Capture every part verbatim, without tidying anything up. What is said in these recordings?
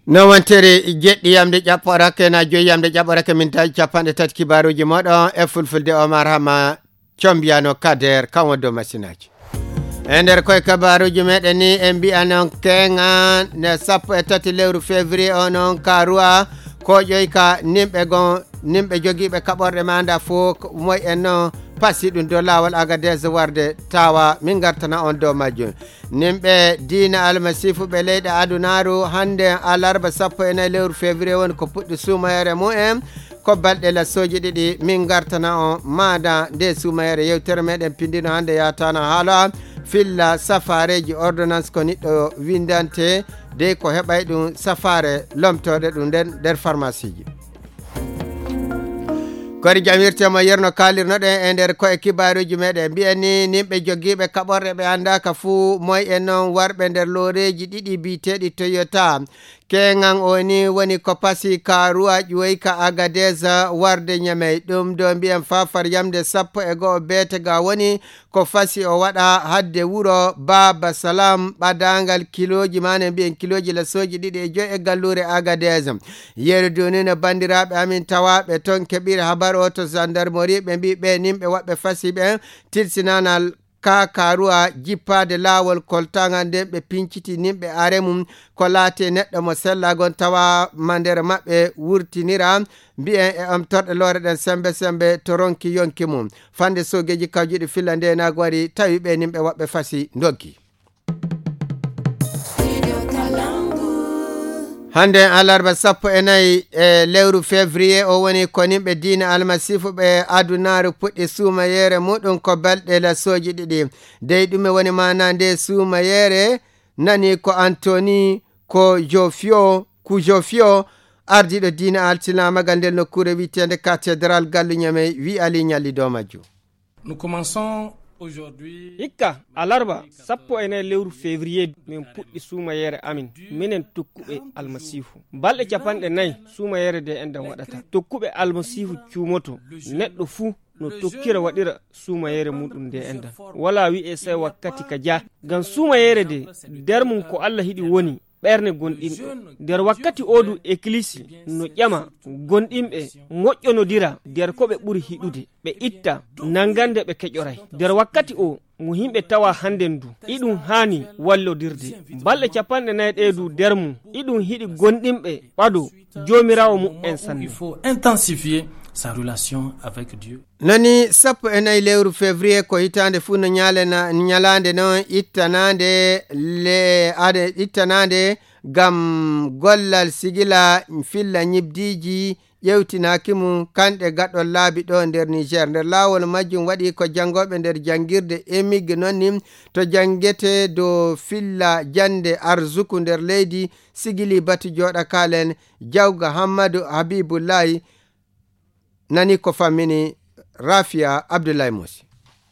no wontere jeɗɗi yamde ƴaɓɓorake na joyi yamde ƴaɓɓorake min tawi capanɗe tati kibaruji moɗon e fulfulde Omar Hama combiyano kader kan wondo masinaji e nder koye kabaruji meɗen ni en mbi'a noon kenga ne sappo e tati lewru février o noon karuwa ko ƴoy ka nimɓe gon nimɓe jogiiɓe kaɓorɗe manda fof moy en noon pasi ɗum dow lawol Agadez warde tawa min gartana on dow majjum nimɓe diina almasifu ɓe leyɗe adunaru hande alarba sappo e nayyi lewru février woni ko puɗɗi sumayere mumen ko balɗe lassoji ɗiɗi min gartana on maada nde sumayere yewtere meɗen pindino hande yatana haala filla safareji ordonnance ko niɗɗo windante de ko heɓay ɗum safare lomtode ɗum nden nder pharmacie ji kori jamirtemo yerno kalirnoɗen e nder koye kibaruji meɗen mbiyani nimɓe jogiiɓe kaɓorɗe ɓe andaka fuu moy en noon warɓe nder looreji ɗiɗi biteɗi Toyota kengan o ni woni ko pasi karuwa ƴoyi ka Agadez warde Ñamey ɗum do mbiyen fafar yamde sappo e goho betega woni ko fasi o waɗa hadde wuro Baba Salam ɓadangal kiloji mane mbiyen kiloji lassoji ɗiɗi e joyi e gallure Agadez yeru duni no bandiraɓe amin tawaɓe ton keɓiri habar o to gendarmerie ɓe mbi ɓe nimɓe waɓɓe fasi ɓe tilsinanal ka karuwa jippade lawol koltagal nden ɓe pinciti nimɓe aremum ko laati neɗɗo mo sellagon tawa mandere maɓɓe wurtinira mbiyen e am torɗe lore ɗen sembe sembe to ronki yonki mum fande sogeji kawjuɗi filla nde nago wari tawi ɓe nimɓe waɓɓe fasi doggi hande alarba sappo e nayyi e lewru février o woni ko nimɓe diina almasifu ɓe adunaru puɗɗi suumayere muɗum ko balɗe lassoji ɗiɗi dey ɗume woni mana nde suumayere nani ko Anthony ko Jofio ku Jofio ardiɗo diina alsilamagal nder nokkure wiitende cathédrale gallu Ñamey wi ali ñalli dow majjum. Nous commençons aujourd'hui hikka alarba sappo e nayyi lewru février min puɗɗi suumayere amin minen tokkuɓe almasihu balɗe capanɗe nayyi suumayere de enɗen waɗata tokkuɓe almasihu cuumoto neɗɗo fuu no tokkira waɗira suumayere muɗum nde enɗan wala wi'e sai wakkati ka ja ngam suumayere de nder mum ko Allah hiɗi woni ɓerne gonɗinɓe nder wakkati odu église no ƴama gonɗinɓe moƴƴonodira nder ko ɓe ɓuri hiɗude ɓe itta nangande ɓe keƴoray nder wakkati o mo himɓe tawa handen du iɗum hani wallodirde balɗe capanɗe nayyi ɗeedu nder mum iɗum hiɗi gonɗinɓe ɓado jomirawo mu'en sanne intensifier sa relation avec Dieu. Nani sappo e nayyi lewru février ko hitande fu no ñalena ñalande noon ittanande le ade ittanande gam gollal sigila filla ñibdiji ƴewtinaki mum kanɗe gaɗɗol laabi ɗo nder Niger nder lawol majjum waɗi ko jangoɓe nder jangirde emigge noon ni to jangete do filla jande arzuku nder leydi sigili batu joɗa kalen jawga Hammadou Habibullahi nani ko fammini Rafia Abdoulaye Moussi.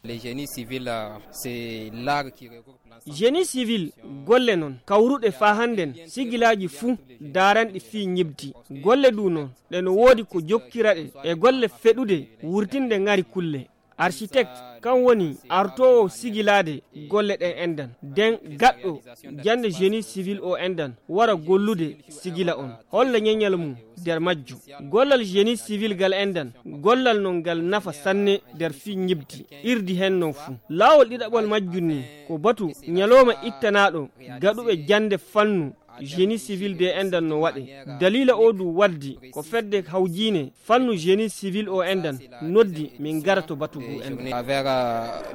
Les génies civils, c'est l'art qui regroupe l'ensemble. Génie civil golle non kawruɗe fa handen sigilaji fuu daranɗi fi ñibdi golle du non ɗe no woodi ko jokkiraɗe e golle feɗude wurtinde ngari kulle architecte kan woni artowo sigilade golle ɗen endan den gaɗɗo jande génie civil o endan wara gollude sigila on holla ñeñal mum nder majju gollal génie civil gal endan gollal non gal nafa sanne nder fi ñibdi irdi hen non fuu lawol ɗiɗaɓol majjum ni ko batu ñaloma ittanaɗo gaɗuɓe jande fannu génie civil de endan no waɗe dalila o du waddi ko fedde hawjine fannu génie civil o endan noddi min garato batugu en avec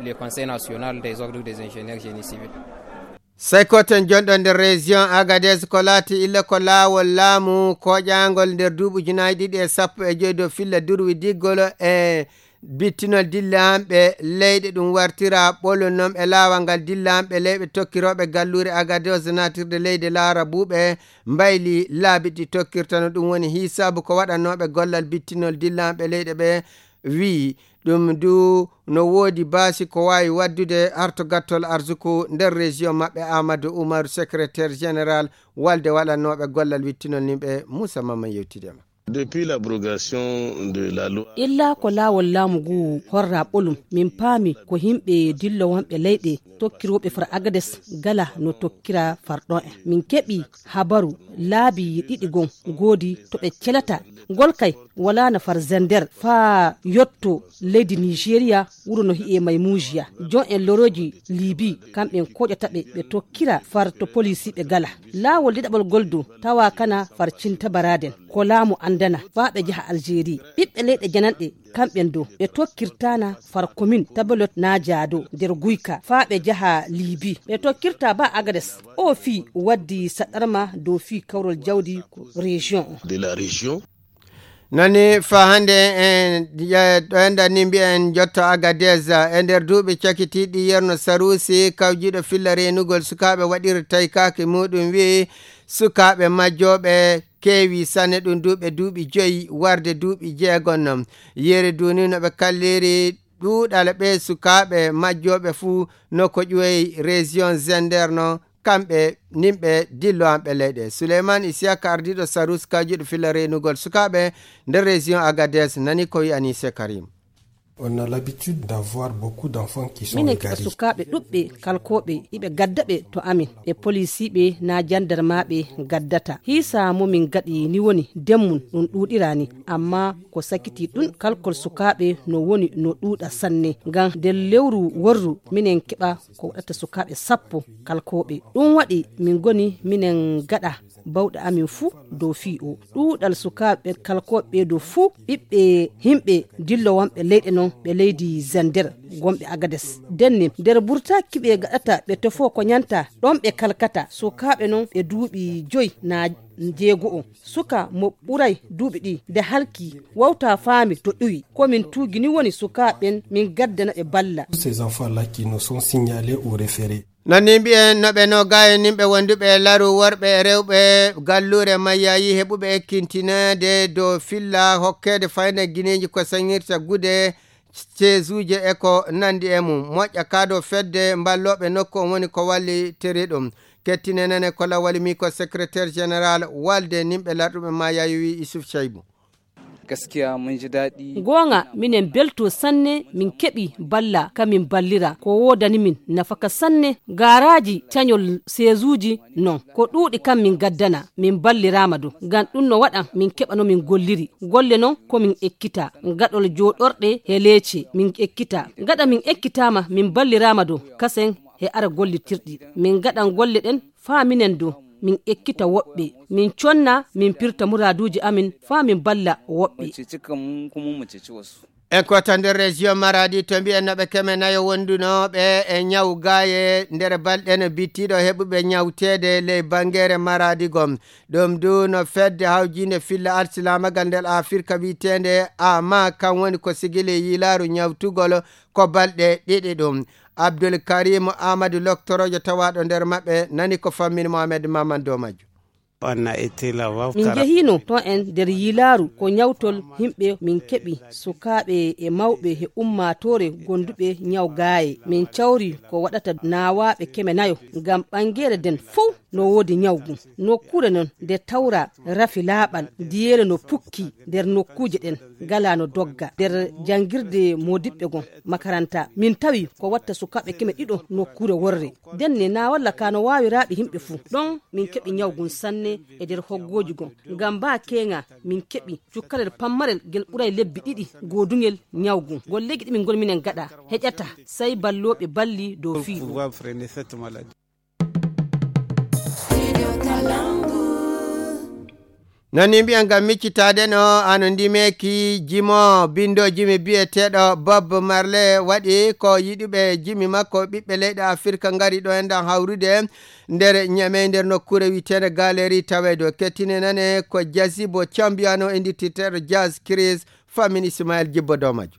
le conseil national des ordres des ingénieurs génie civil. Sai koten jonɗo nder région Agadez ko laati illa ko laawol laamu koƴangol nder duuɓi junayi ɗiɗi e sappo e joyi dow filla durwi diggol e bittinol dillamɓe leyɗe ɗum wartira ɓolol noon e laawal ngal dillamɓe leyɓe tokkiroɓe gallure Agadez natirde leydi laara buuɓe mbayli laabi ɗi tokkirtano ɗum woni hisabu ko waɗannoɓe gollal bittinol dillamɓe leyɗe ɓe wi ɗum du no woodi baasi ko wawi waddude harto gattol arzuku nder région maɓɓe Amadou Oumar secrétaire général walde waɗannoɓe gollal wittinol nimɓe Moussa Mamman yewtidema. Depuis l'abrogation de la loi. Illa ko lawol lamugu horra ɓolum min paami ko himɓe dillo wonɓe leyɗe tokkiroɓe far agades gala no tokkira farɗon en. Min keɓi habaru laabi ɗiɗi gon goodi to ɓe celata gol kay wala na far zender fa yotto leydi Nigeria wuro no hi'e Maymoujiya. Jon en loroji Libi kamɓen koƴataɓe ɓe tokkira far to polisi ɓe gala. Lawol ɗiɗaɓol goldo tawa kana far cinta baraden ko laamu andana fa ɓe jaha Algérie. Ɓiɓɓe leyɗe jananɗe kamɓen do ɓe tokkirtana far commune tabelot na jaado nder guyka fa ɓe jaha Libi ɓe tokkirta ba agades o fi waddi saɗarma dow fi kawrol jawdi région de la région. nani fa hande en ɗoenda ni mbiyen jotto Agadez e nder duuɓi cakitiɗi yerno Sarusi kawjiɗo filla renugol sukaɓe waɗirtay kake muɗum wi sukaɓe majjoɓe kewi sanne ɗum duuɓe duuɓi joyi warde duuɓi jeegon non yeri duni no ɓe kalliri ɗuuɗal ɓe sukaɓe majjoɓe fuu no ko ƴoyi région Zender no kamɓe nimɓe dillo amɓe leyɗe. Souleymane Isiaka ardiɗo Sarus kawjiɗo filla renugol sukaɓe nder région Agadez nani ko wi Anise Karim. On a l'habitude d'avoir beaucoup d'enfants qui sont minen égarés. kiɓa sukaɓe ɗuɓɓe kalkoɓe iɓe gaddaɓe to amin ɓe policiɓe na jandarmaɓe gaddata hisa momin gaɗi ni woni demmun ɗum ɗuɗirani amma ko sakiti ɗum kalkol sukaɓe no woni no ɗuɗa sanne ngam nder lewru worru minen keɓa ko waɗata sukaɓe sappo kalkoɓe ɗum waɗi min goni minen gaɗa bawɗe amin fuu dow fi o ɗuɗal sukaɓe kalkoɓe dow fuu ɓiɓɓe himɓe dillo wonɓe leyɗe non ɓe leydi Zender gomɓe Agades denni nder burtaki ɓe gaɗata ɓe tofo ko nyanta ɗon ɓe kalkata sukaɓe non ɓe duuɓi joyi na jeego o suka mo ɓuray duuɓi ɗi nde halki wawta faami to ɗuwi komin tuugini woni sukaɓen min gaddana ɓe balla. Ces enfants là qui nous sont signalés au référé. nani mbiyen no ɓe no gaye nimɓe wonduɓe laru worɓe e rewɓe gallure mayyayi heɓuɓe ekkintinede dow filla hokkede fayna guineji ko sañirta gude ceesuje e ko nandi e mum moƴƴa kaado fedde mballoɓe nokku on woni ko walli teri ɗum kettinenene ko lawali mi ko secrétaire général walde nimɓe larɗuɓe mayyayi wi Issouf Chaibou. gaskiya mun ji daɗi gonga minen belto sanne min keɓi balla kamin ballira ko wodani min nafaka sanne garaji cañol seesuji non ko ɗuuɗi kam min gaddana min ballirama do ngam ɗum no waɗan min keɓano min golliri golle non komin ekkita gaɗol joɗorɗe he leece min ekkita gaɗa min ekkitama min ballirama do kasen he ara gollitirɗi min gaɗan golle ɗen fa minen do min ekkita woɓɓe min conna min pirta muraduji amin fa min balla woɓɓe en kota nder région Maradi to mbiyen noɓe keme nayo wondunoɓe e ñaw gaye nder balɗe no bittiɗo heɓuɓe ñawtede ley bangere Maradi gom ɗum du no fedde hawjinde filla alsilamagal nder Afrika witende ama kam woni ko sigili yilaru ñawtugol ko balɗe ɗiɗi ɗum Abdoul Karim Amadou Loktorojo tawaɗo nder maɓɓe nani ko fammin Mohamed Mamadou Madio. min jehino to en nder yilaru ko ñawtol himɓe min keɓi sukaɓe e mawɓe he ummatore gonduɓe ñaw gaaye min cawri ko waɗata nawaɓe keme nayo ngam ɓangere den fuu no wodi ñawgu nokkure non nde tawra rafi laaɓal diyere no pukki nder nokkuje ɗen gala no dogga nder jangirde modiɓɓe gon makaranta min tawi ko watta sukaɓe keme ɗiɗo nokkure worre denne na walla ka no wawiraɓe himɓe fuu ɗon min keɓi ñawgun sanne e nder hoggoji gon ngam ba kenga min keɓi cukkalel pammarel gel ɓuray lebbi ɗiɗi godugel ñawgu gollegi ɗi min gol minen gaɗa heƴata sai balloɓe balli dow fi nani mbiyan ngam miccitade no ano ndimeki jimo bindo jimi biyeteɗo Bob Marley waɗi ko yiɗuɓe jimi makko ɓiɓɓe leyɗe Afrika ngari ɗo endan hawrude nder ñame nder nokkure witede galeri tawedo kettine nane ko Jazibo Chambiano indititeɗo Jazz Chris famin Ismaël Jibbo Domajo.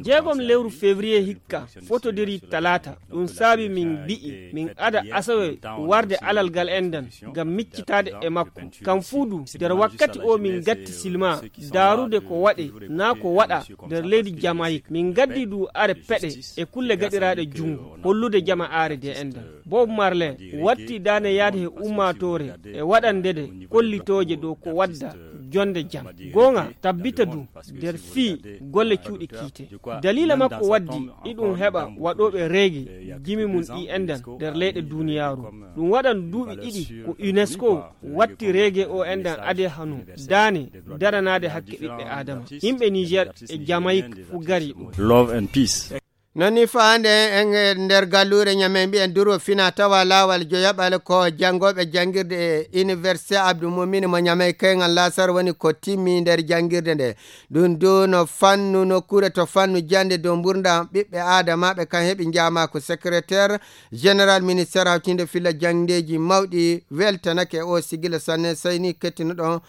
jeegom lewru février hikka fotodiri talata ɗum saabi min bi'i min ada asawe warde alalgal endan ngam miccitade e makko kam fuudu nder wakkati o min gatti silma darude ko waɗe na ko waɗa nder leydi Jamaïque min gaddi du are peɗe e kulle gaɗiraɗe jungo hollude jama are de endan Bob Marley watti dane yaade he ummatore e waɗandede kollitoje dow ko wadda jonde jam gonga tabbita du nder fii golle cuuɗi kiite dalila makko waddi iɗum heɓa waɗoɓe reege jimi mum ɗi endan nder leyɗe duniyaru ɗum waɗan duuɓi ɗiɗi ko UNESCO watti reege o endan ade hanu dane daranade hakke ɓiɓɓe adama yimɓe Niger e Jamaïque fu gari ɗum love and peace. noni faande en nder gallure ñamen mbi'en duro fina tawa lawal joyaɓal ko jangoɓe jangirde e université Abdou Mumini mo ñamey kaygal lasar woni ko timmi nder jangirde nde ɗum du no fannu nokkure to fannu jande dow gurdam ɓiɓɓe adamaɓe kan heeɓi jama ko secrétaire général ministére hawtinde filla jangdeji mawɗi weltanake o sigila sanne sayni kettinoɗon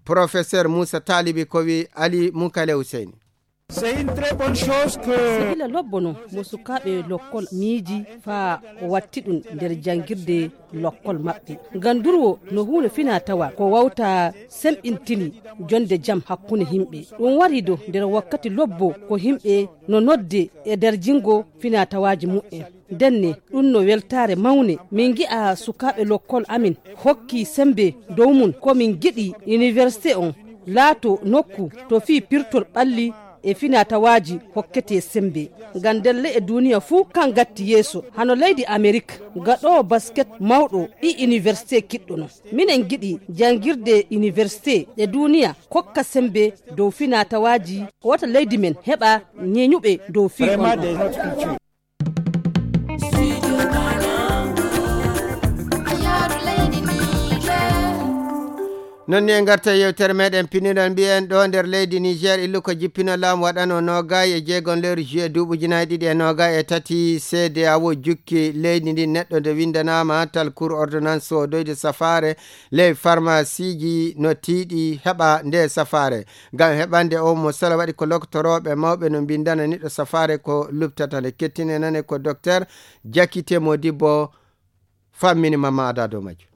professeur Moussa Talibi ko wi Ali Moukale Hussein. C'est une très bonne chose que sehila lobbono mo sukaɓe lokkol miiji fa watti ɗum nder jangirde lokkol maɓɓe gandurwo no hunde fina tawa ko wawta selɓintini jonde jam hakkunde himɓe ɗum wari do nder wakkati lobbo ko himɓe no nodde e nder jingo fina tawaji mu'en denne ɗum no weltare mawne min gi'a sukaɓe lokkol amin hokki sembe dow mum ko min giɗi université on laato nokku to fi pirtol ɓalli e finatawaji hokkete sembe ngam delle e duniya fuu kan gatti yeeso hano leydi Amérique gaɗo basket mawɗo ɗi université kiɗɗo no minen giɗi jangirde université e duniya kokka sembe dow finatawaji wata leydi men heɓa ñeñuɓe dow fi non ni en garta yewtere meɗen piniɗon mbiyen ɗo nder leydi Niger illu ko jippino laamu waɗano nogay e jeegon lewru juillet duuɓuji ɗiɗi e nogay e tati C D A O jukki leydi ndi neɗɗo nde windanama tal cour ordonnance o doyde safare ley pharmacie ji no tiiɗi heɓa nde safare ngam heɓande o mo sala waɗi ko loktoroɓe mawɓe no bindana niɗɗo safare ko luptata nde kettine nane ko docteur Jakite Modibo fammini mama ada dow majjum.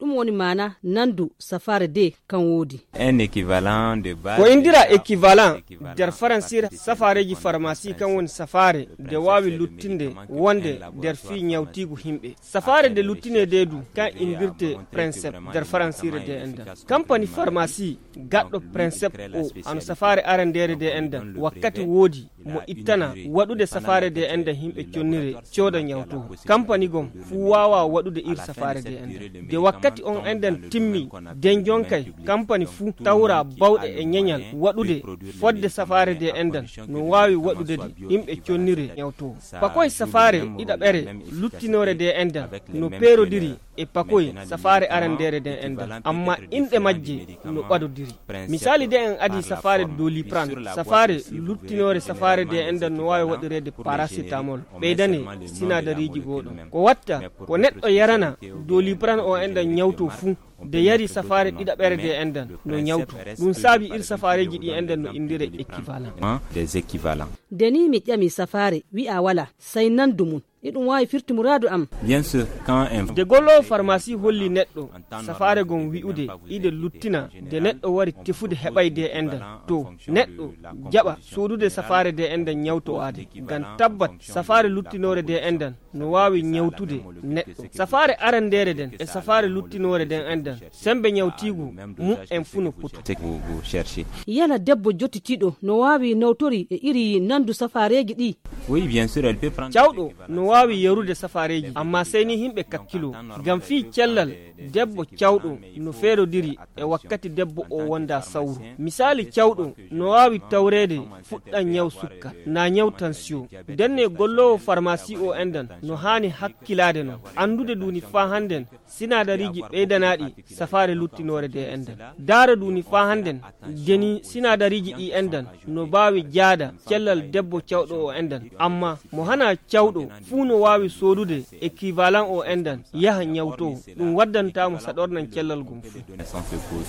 ɗum woni mana nandu safare de kan wodi un équivalent de base ko indira équivalent nder faransire safareji pharmacie kan woni safare de wawi luttinde wonde nder fi ñawtigu himɓe safare de luttine de du kan indirte principe nder faransire de endan compagnie pharmacie gaɗɗo principe o ano safare arandere de endan wakkati wodi mo ittana waɗude safare de endan himɓe connire cooda ñawtugo compagnie gom fu wawa waɗude ir safare de endan de wakkati on endan timmi den jonkay compagnie fu tawra bawɗe e ñeñal waɗude fodde safare de endan no wawi waɗude de himɓe connire ñawtugo pakoye safare ɗiɗaɓere luttinore de endan no perodiri e pakoye safare arandere de endan amma inɗe majje no ɓadodiri misali de en adi safare Doliprane safare luttinore safare de endan no wawi waɗirede paracetamol ɓeydane sinadariji goɗo ko watta ko neɗɗo yarana Doliprane o endan ñawto fuu de yari safare ɗiɗaɓere de endan no ñawtu ɗum saabi ir safareji ɗi endan no indire équivalent des équivalents deni mi ƴami safare wi'a wala say nandu mum iɗum wawi firti muradu am bien sûr quand un de gollo pharmacie holli neɗɗo safare gon wi'ude ide luttina de neɗɗo wari tefude heɓayde endan to neɗɗo jaɓa sodude safare de endan ñawto ade ngam tabbat safare luttinore de endan no wawi ñawtude neɗɗo safare arandere den e safare luttinore den endan sembe ñawtigu mu en funo puto yala debbo jottitiɗo no wawi nawtori e iri nandu safareji ɗi oui bien sûr elle peut prendre cawɗo no wawi yarude safareji amma sey ni himɓe kakkilo ngam fi cellal debbo cawɗo no feerodiri e wakkati debbo o wonda sawru misali cawɗo no wawi tawrede fuɗɗan ñaw sukka na ñaw tension denne gollowo pharmacie o endan no hani hakkilade no andude duni fa handen sinadariji ɓeydanaɗi safare luttinore de endan dara duni fa handen deni sinadariji ɗi endan no bawi jaada cellal debbo cawɗo o endan amma mo hana cawɗo fuu no wawi sodude équivalent o endan yaha ñawto ɗum waddantamo saɗornan cellal gum fuu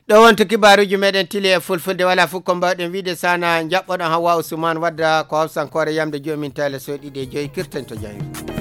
ɗo wonto kibaruji meɗen tili e fulfulde wala fof ko mbawɗen wiide sana jaɓɓoɗon Hawa Ousmane wadda ko hawsankore yamde jomin tale so ɗiɗi e joyi kirten to jahir.